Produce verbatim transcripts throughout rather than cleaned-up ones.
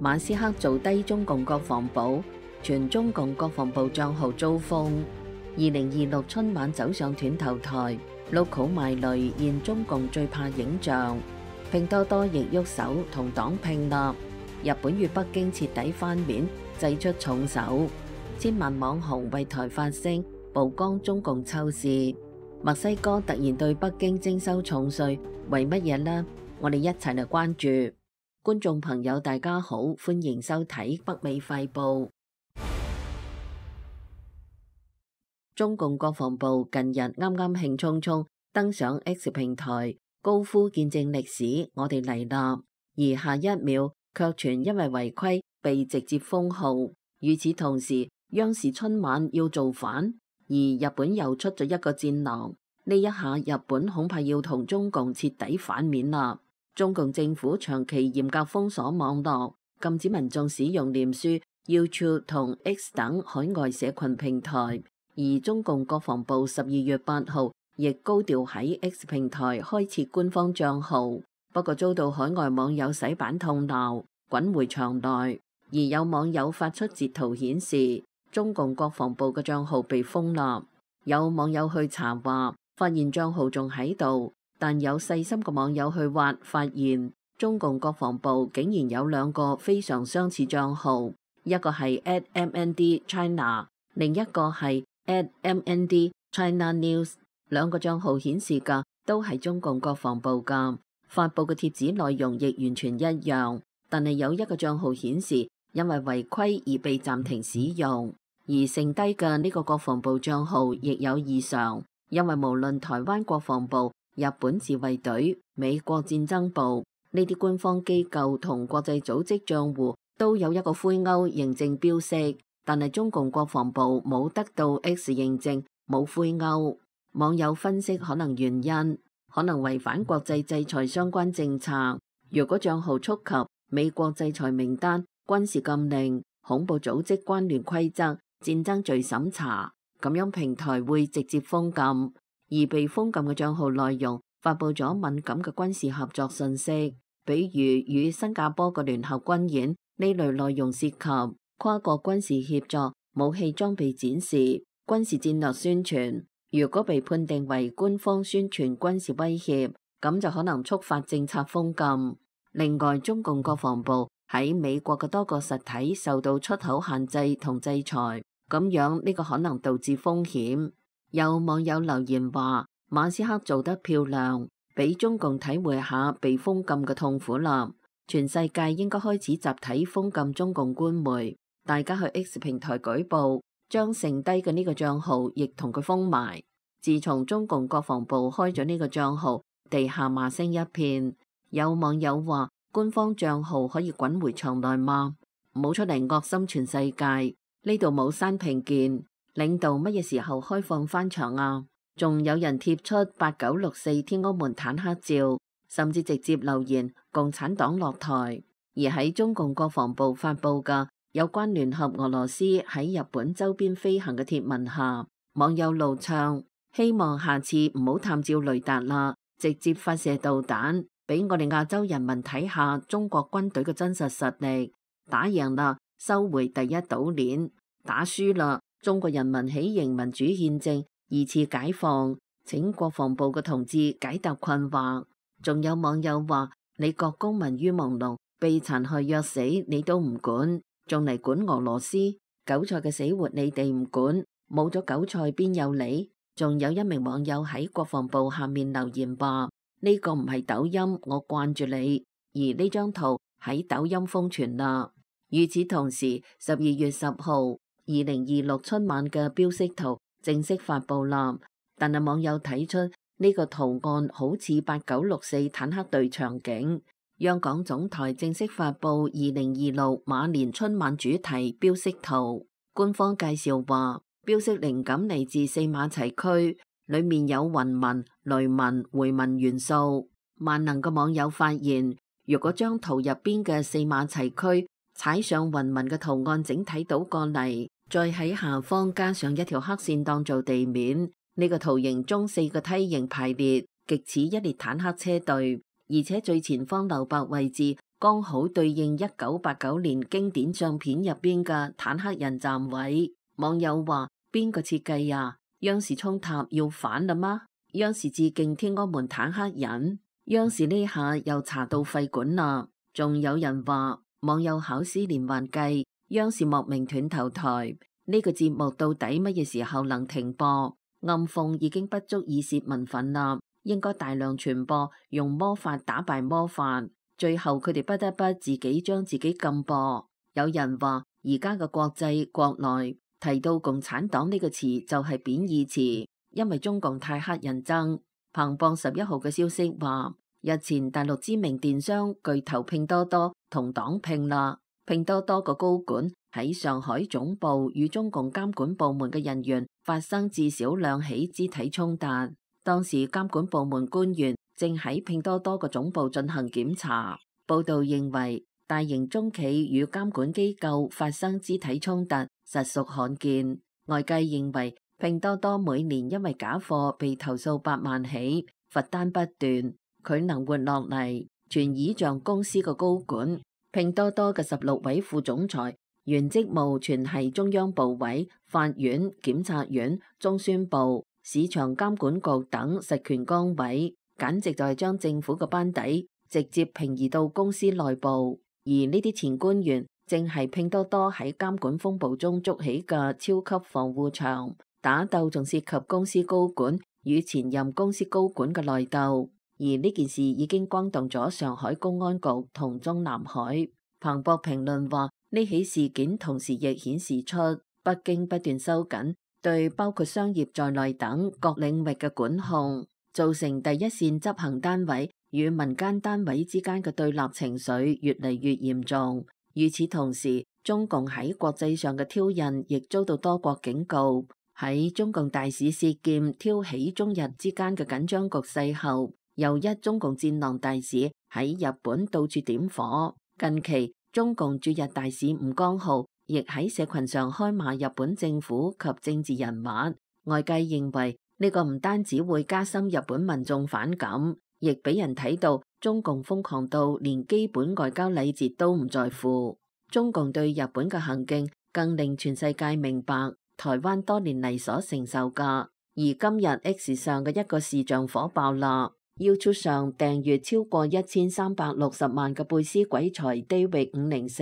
馬斯克做低中共國防部，傳中共國防部帳號遭封。二零二六春晚走上斷頭台，六好賣雷現中共最怕影像。拼多多亦喐手同黨拼啦。日本與北京徹底翻面，祭出重手。千萬網紅為台發聲，曝光中共醜事。墨西哥突然對北京徵收重稅，為乜嘢呢？我哋一齊嚟關注。觀眾朋友大家好，歡迎收睇北美快報。中共國防部近日啱啱興沖沖登上 X 平台，高呼見證歷史，我哋嚟啦！而下一秒卻傳因為違規被直接封號。與此同時，央視春晚要造反，而日本又出咗一個戰狼。呢一下日本恐怕要同中共徹底反面啦。中共政府長期嚴格封鎖網絡，禁止民眾使用臉書、YouTube 同 X 等海外社群平台。而中共國防部十二月八號亦高調喺 X 平台開設官方賬號，不過遭到海外網友洗版痛鬧，滾回場內。而有網友發出截圖顯示，中共國防部嘅賬號被封啦。有網友去查話，發現賬號仲喺度，但有細心嘅網友去挖，發現中共國防部竟然有兩個非常相似賬號，一個係 at M N D China， 另一個係at M N D China News。 兩個賬號顯示嘅都係中共國防部嘅，發布嘅帖子內容亦完全一樣，但係有一個賬號顯示因為違規而被暫停使用，而剩低嘅呢個國防部賬號亦有異常，因為無論台灣國防部、日本自衛隊、美國戰爭部呢啲官方機構同國際組織賬戶都有一個灰勾認證標識，但係中共國防部冇得到 X 認證，冇灰勾。網友分析可能原因，可能違反國際制裁相關政策。如果賬號觸及美國制裁名單、軍事禁令、恐怖組織關聯規則、戰爭罪審查，咁樣平台會直接封禁。而被封禁嘅賬號內容發布咗敏感嘅軍事合作信息，比如與新加坡嘅聯合軍演，呢類內容涉及跨國軍事協作、武器裝備展示、軍事戰略宣傳。如果被判定為官方宣傳軍事威脅，咁就可能觸發政策封禁。另外，中共國防部喺美國嘅多個實體受到出口限制同制裁，咁樣呢個可能導致風險。有網友留言話，馬斯克做得漂亮，俾中共體會下被封禁嘅痛苦啦。全世界應該開始集體封禁中共官媒，大家去 X 平台舉報，將剩低嘅呢個賬號亦同佢封埋。自從中共國防部開咗呢個賬號，地下罵聲一片。有網友話，官方賬號可以滾回場內嗎？唔好出嚟惡心全世界。呢度冇刪評鍵，領導乜嘢時候開放翻場啊？仲有人貼出八九六四天安門坦克照，甚至直接留言共產黨落台。而喺中共國防部發布嘅有關聯合俄羅斯喺日本周邊飛行嘅貼文下，網友怒唱，希望下次唔好探照雷達啦，直接發射導彈俾我哋亞洲人民睇下中國軍隊嘅真實實力。打贏啦，收回第一島鏈；打輸啦，中國人民喜迎民主憲政，二次解放。請國防部嘅同志解答困惑。仲有網友話，你國公民於朦朧，被殘害虐死你都唔管，仲嚟管俄羅斯？韭菜嘅死活你哋唔管，冇咗韭菜邊有你？仲有一名網友喺國防部下面留言話，呢個唔係抖音，我慣住你。而呢張圖喺抖音瘋傳啦。與此同時，十二月十號，二零二六春晚嘅標識圖正式發布啦。但係網友睇出呢個圖案好似八九六四坦克隊場景。央廣總台正式發布二零二六馬年春晚主題標識圖。官方介紹話，標識靈感嚟自四馬齊區，裏面有雲紋、雷紋、回紋元素。萬能嘅網友發現，如果將圖入邊嘅四馬齊區踩上雲紋嘅圖案整體倒過嚟，再喺下方加上一條黑線當做地面，呢、這個圖形中四個梯形排列，極似一列坦克車隊，而且最前方留白位置剛好對應一九八九年經典相片入邊嘅坦克人站位。網友話：邊個設計啊？央視衝塔要反啦嗎？央視致敬天安門坦克人。央視呢下又查到肺管啦。仲有人話網友考試連環計，央視莫名斷頭台。呢個節目到底乜嘢時候能停播？暗諷已經不足以泄民憤啦，應該大量傳播，用魔法打敗魔法。最後佢哋不得不自己將自己禁播。有人話而家嘅國際國內提到共產黨呢個詞就係貶義詞，因為中共太乞人憎。彭博十一號嘅消息話，日前大陸知名電商巨頭拼多多同黨拼啦。拼多多個高管喺上海總部與中共監管部門嘅人員發生至少兩起肢體衝突，當時監管部門官員正喺拼多多個總部進行檢查。報道認為，大型中企與監管機構發生肢體衝突實屬罕見。外界認為，拼多多每年因為假貨被投訴百萬起，罰單不斷，佢能活落嚟，全倚仗公司個高管。拼多多嘅十六位副總裁原職務全係中央部委、法院、檢察院、中宣部、市場監管局等實權崗位，簡直就係將政府嘅班底直接平移到公司內部。而呢啲前官員正係拼多多喺監管風暴中築起嘅超級防護牆，打鬥仲涉及公司高管與前任公司高管嘅內鬥。而呢件事已經轟動咗上海公安局同中南海。彭博評論話，呢起事件同時亦顯示出北京不斷收緊對包括商業在內等各領域嘅管控，造成第一線執行單位與民間單位之間嘅對立情緒越嚟越嚴重。與此同時，中共喺國際上嘅挑釁亦遭到多國警告。喺中共大使薛劍挑起中日之間嘅緊張局勢後，又一中共戰狼大使喺日本到處點火。近期中共駐日大使吳江浩亦喺社群上開罵日本政府及政治人物。外界認為呢個唔單止會加深日本民眾反感，亦俾人睇到中共瘋狂到連基本外交禮節都唔在乎。中共對日本嘅行徑更令全世界明白台灣多年嚟所承受嘅。而今日 X 上嘅一個視像火爆啦。YouTube 上訂閱超過一千三百六十萬嘅貝斯鬼才 David 五零四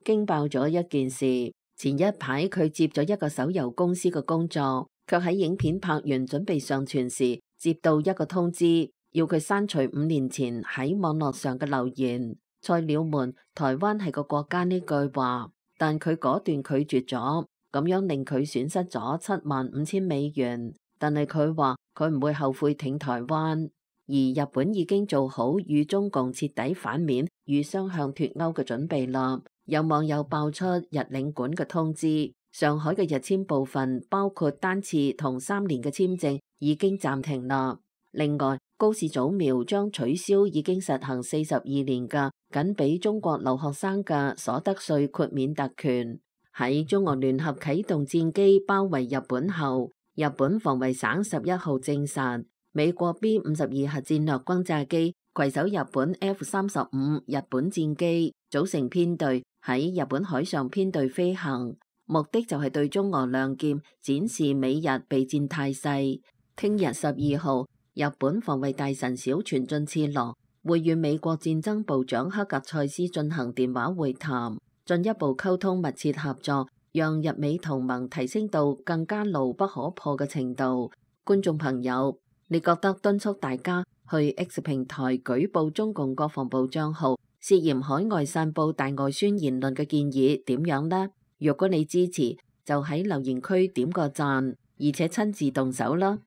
驚爆咗一件事。前一排佢接咗一個手遊公司嘅工作，卻喺影片拍完準備上傳時，接到一個通知，要佢刪除五年前喺網絡上嘅留言。菜鳥們，台灣係個國家呢句話，但佢果斷拒絕咗，咁樣令佢損失咗七萬五千美元。但係佢話佢唔會後悔挺台灣。而日本已經做好與中共徹底反面與雙向脫鈎嘅準備啦。有網友爆出日領館嘅通知，上海嘅日簽部分包括單次同三年嘅簽證已經暫停啦。另外，高市早苗將取消已經實行四十二年嘅僅俾中國留學生嘅所得稅豁免特權。喺中俄聯合啟動戰機包圍日本後，日本防衛省十一號證實，美國 B 五十二核戰略轟炸機攜手日本 F 三十五日本戰機組成編隊喺日本海上編隊飛行，目的就係對中俄亮劍展示美日備戰態勢。聽日十二號，日本防衛大臣小泉進次郎會與美國戰爭部長克格塞斯進行電話會談，進一步溝通密切合作，讓日美同盟提升到更加牢不可破嘅程度。觀眾朋友，你覺得敦促大家去 X 平台舉報中共國防部帳號涉嫌海外散佈大外宣言論嘅建議點樣呢？如果你支持，就喺留言區點個讚，而且親自動手啦。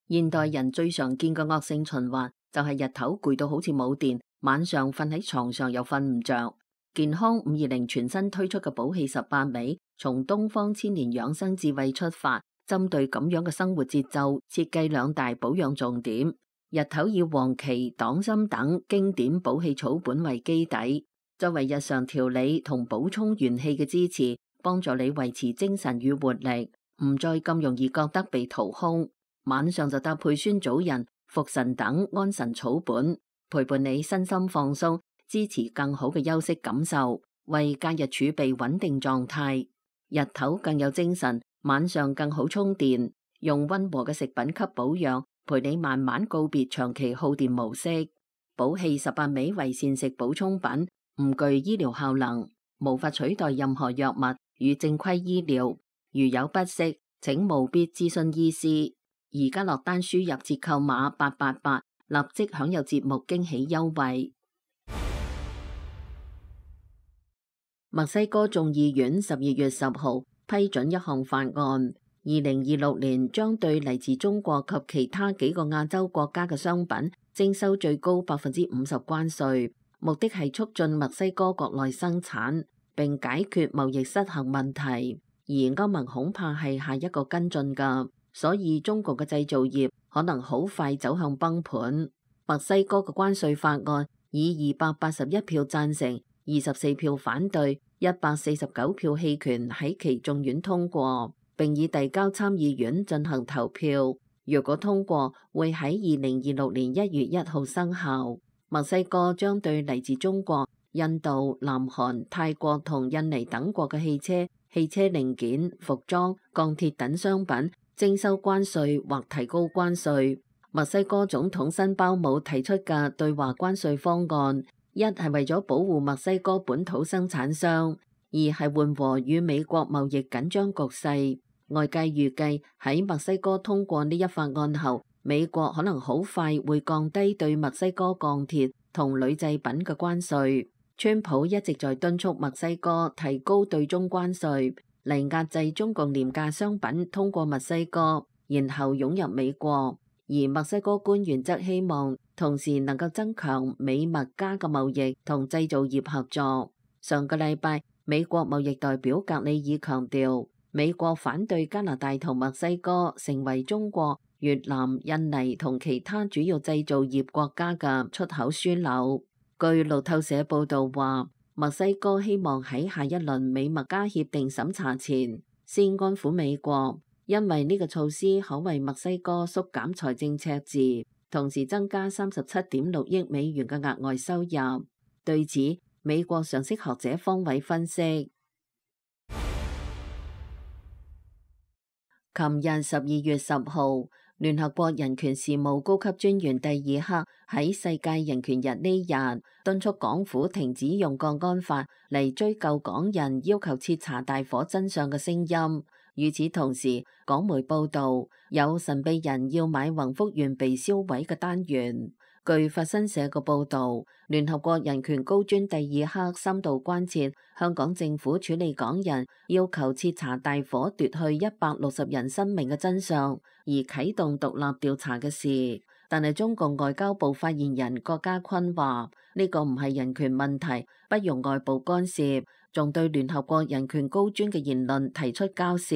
現代人最常見嘅惡性循環就係日頭攰到好似冇電，晚上瞓喺床上又瞓唔着。健康五二零全新推出嘅補氣十八味，從東方千年養生智慧出發，針對咁樣嘅生活節奏，設計兩大保養重點。日頭以黃芪、黨參等經典補氣草本為基底，作為日常調理同補充元氣嘅支持，幫助你維持精神與活力，唔再咁容易覺得被掏空。晚上就搭配酸棗仁、茯神等安神草本，陪伴你身心放鬆，支持更好嘅休息感受，為假日儲備穩定狀態。日頭更有精神，晚上更好充電。用溫和嘅食品給保養，陪你慢慢告別長期耗電模式。寶氣十八味為膳食補充品，唔具醫療效能，無法取代任何藥物與正規醫療。如有不適，請務必諮詢醫師。而家落單輸入折扣碼八八八，立即享有節目驚喜優惠。墨西哥眾議院十二月十號批准一項法案，二零二六年將對嚟自中國及其他幾個亞洲國家嘅商品徵收最高百分之五十關稅，目的係促進墨西哥國內生產並解決貿易失衡問題。而歐盟恐怕係下一個跟進㗎。所以中國嘅製造業可能好快走向崩盤。墨西哥嘅關稅法案以二百八十一票贊成、二十四票反對、一百四十九票棄權喺其眾院通過，並已遞交參議院進行投票。若果通過，會喺二零二六年一月一號生效。墨西哥將對嚟自中國、印度、南韓、泰國同印尼等國嘅汽車、汽車零件、服裝、鋼鐵等商品徵收關稅或提高關稅。墨西哥總統辛鮑姆提出嘅對華關稅方案，一係為咗保護墨西哥本土生產商，二係緩和與美國貿易緊張局勢。外界預計喺墨西哥通過呢一法案後，美國可能好快會降低對墨西哥鋼鐵同鋁製品嘅關稅。川普一直在敦促墨西哥提高對中關稅，嚟壓制中共廉價商品通過墨西哥，然後湧入美國。而墨西哥官員則希望同時能夠增強美墨加嘅貿易同製造業合作。上個禮拜，美國貿易代表格里爾強調，美國反對加拿大同墨西哥成為中國、越南、印尼同其他主要製造業國家嘅出口樞紐。據路透社報導話，墨西哥希望喺下一輪美墨加協定審查前先安撫美國，因為呢個措施可為墨西哥縮減財政赤字，同時增加三十七點六億美元嘅額外收入。對此，美國常識學者方偉分析，琴日十二月十號，聯合國人權事務高級專員蒂爾克喺世界人權日呢日敦促港府停止用國安法嚟追究港人要求徹查大火真相嘅聲音。與此同時，港媒報道有神秘人要買宏福園被燒毀嘅單元。據法新社嘅報導，聯合國人權高專蒂爾克深度關切香港政府處理港人要求徹查大火奪去一百六十人生命嘅真相而啟動獨立調查嘅事。但係中共外交部發言人郭家坤話：呢個唔係人權問題，不容外部干涉，仲對聯合國人權高專嘅言論提出交涉，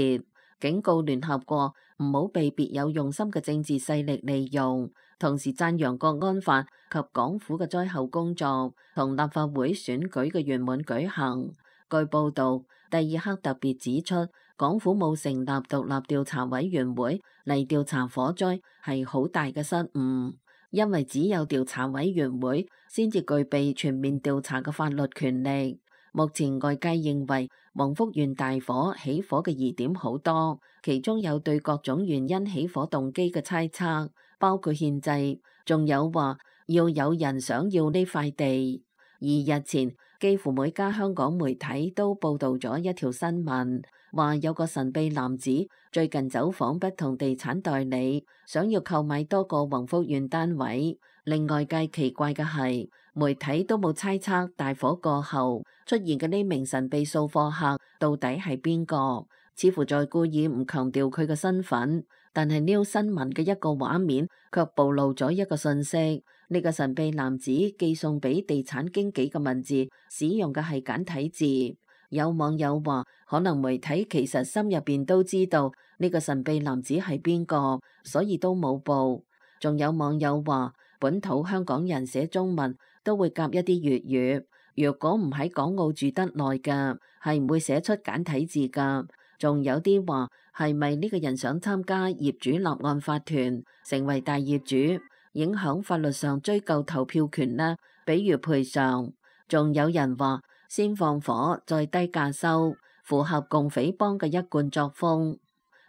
警告聯合國唔好被別有用心嘅政治勢力利用。同時讚揚國安法及港府嘅災後工作同立法會選舉嘅圓滿舉行。據報導，蒂爾克特別指出，港府冇成立獨立調查委員會嚟調查火災係好大嘅失誤，因為只有調查委員會先至具備全面調查嘅法律權力。目前外界認為宏福園大火起火嘅疑點好多，其中有對各種原因起火動機嘅猜測，包括憲制，仲有話要有人想要呢塊地。而日前幾乎每家香港媒體都報導咗一條新聞，話有個神秘男子最近走訪不同地產代理，想要購買多個宏福園單位。令外界奇怪嘅係，媒體都冇猜測大火過後出現嘅呢名神秘掃貨客到底係邊個，似乎在故意唔強調佢嘅身份。但係呢新聞嘅一個畫面卻暴露咗一個信息，呢個神秘男子寄送俾地產經紀嘅文字使用嘅係簡體字。有網友話，可能媒體其實心入邊都知道呢個神秘男子係邊個，所以都冇報。仲有網友話，本土香港人寫中文都會夾一啲粵語，若果唔喺港澳住得耐嘅，係唔會寫出簡體字㗎。仲有啲話，係咪呢個人想參加業主立案法團，成為大業主？影響法律上追究投票權呢？比如賠償。仲有人話先放火再低價收，符合共匪幫嘅一貫作風。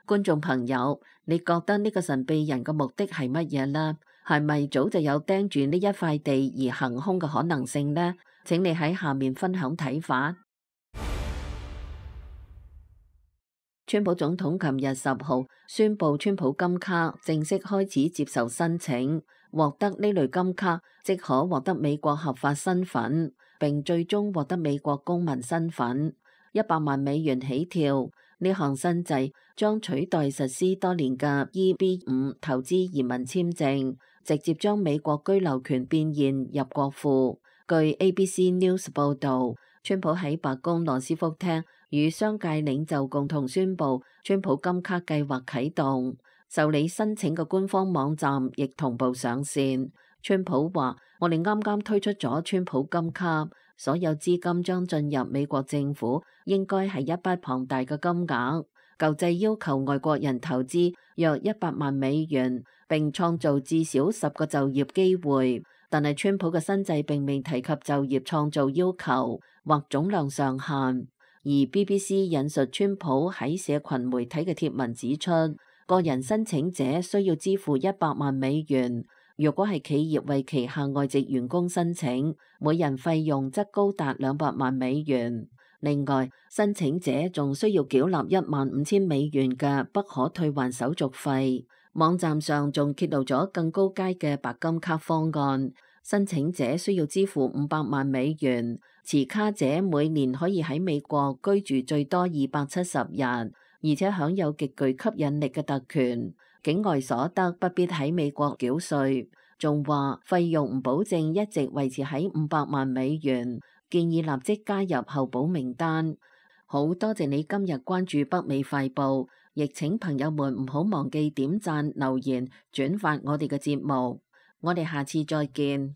觀眾朋友，你覺得呢個神秘人嘅目的係乜嘢呢？係咪早就有盯住呢一塊地而行兇嘅可能性呢？請你喺下面分享睇法。川普總統琴日十號宣布，川普金卡正式開始接受申請，獲得呢類金卡即可獲得美國合法身份，並最終獲得美國公民身份，一百萬美元起跳。呢項新制將取代實施多年嘅 E B 五投資移民簽證，直接將美國居留權變現入國庫。據 A B C News 報導，川普喺白宮羅斯福廳與商界領袖共同宣布，川普金卡計劃啟動，受理申請嘅官方網站亦同步上線。川普話：我哋啱啱推出咗川普金卡，所有資金將進入美國政府，應該係一筆龐大嘅金額。舊制要求外國人投資約一百萬美元，並創造至少十個就業機會。但係川普嘅新制並未提及就業創造要求或總量上限。而 B B C 引述川普喺社群媒體嘅貼文指出，個人申請者需要支付一百萬美元。如果係企業為旗下外籍員工申請，每人費用則高達兩百萬美元。另外，申請者仲需要繳納一萬五千美元嘅不可退還手續費。網站上仲揭露咗更高階嘅白金卡方案，申請者需要支付五百萬美元，持卡者每年可以喺美國居住最多二百七十日，而且享有極具吸引力嘅特權。境外所得不必喺美國繳稅，仲話費用唔保證一直維持喺五百萬美元，建議立即加入候補名單。好多謝你今日關注北美快報，亦請朋友們唔好忘記點讚、留言、轉發我哋嘅節目。我哋下次再見。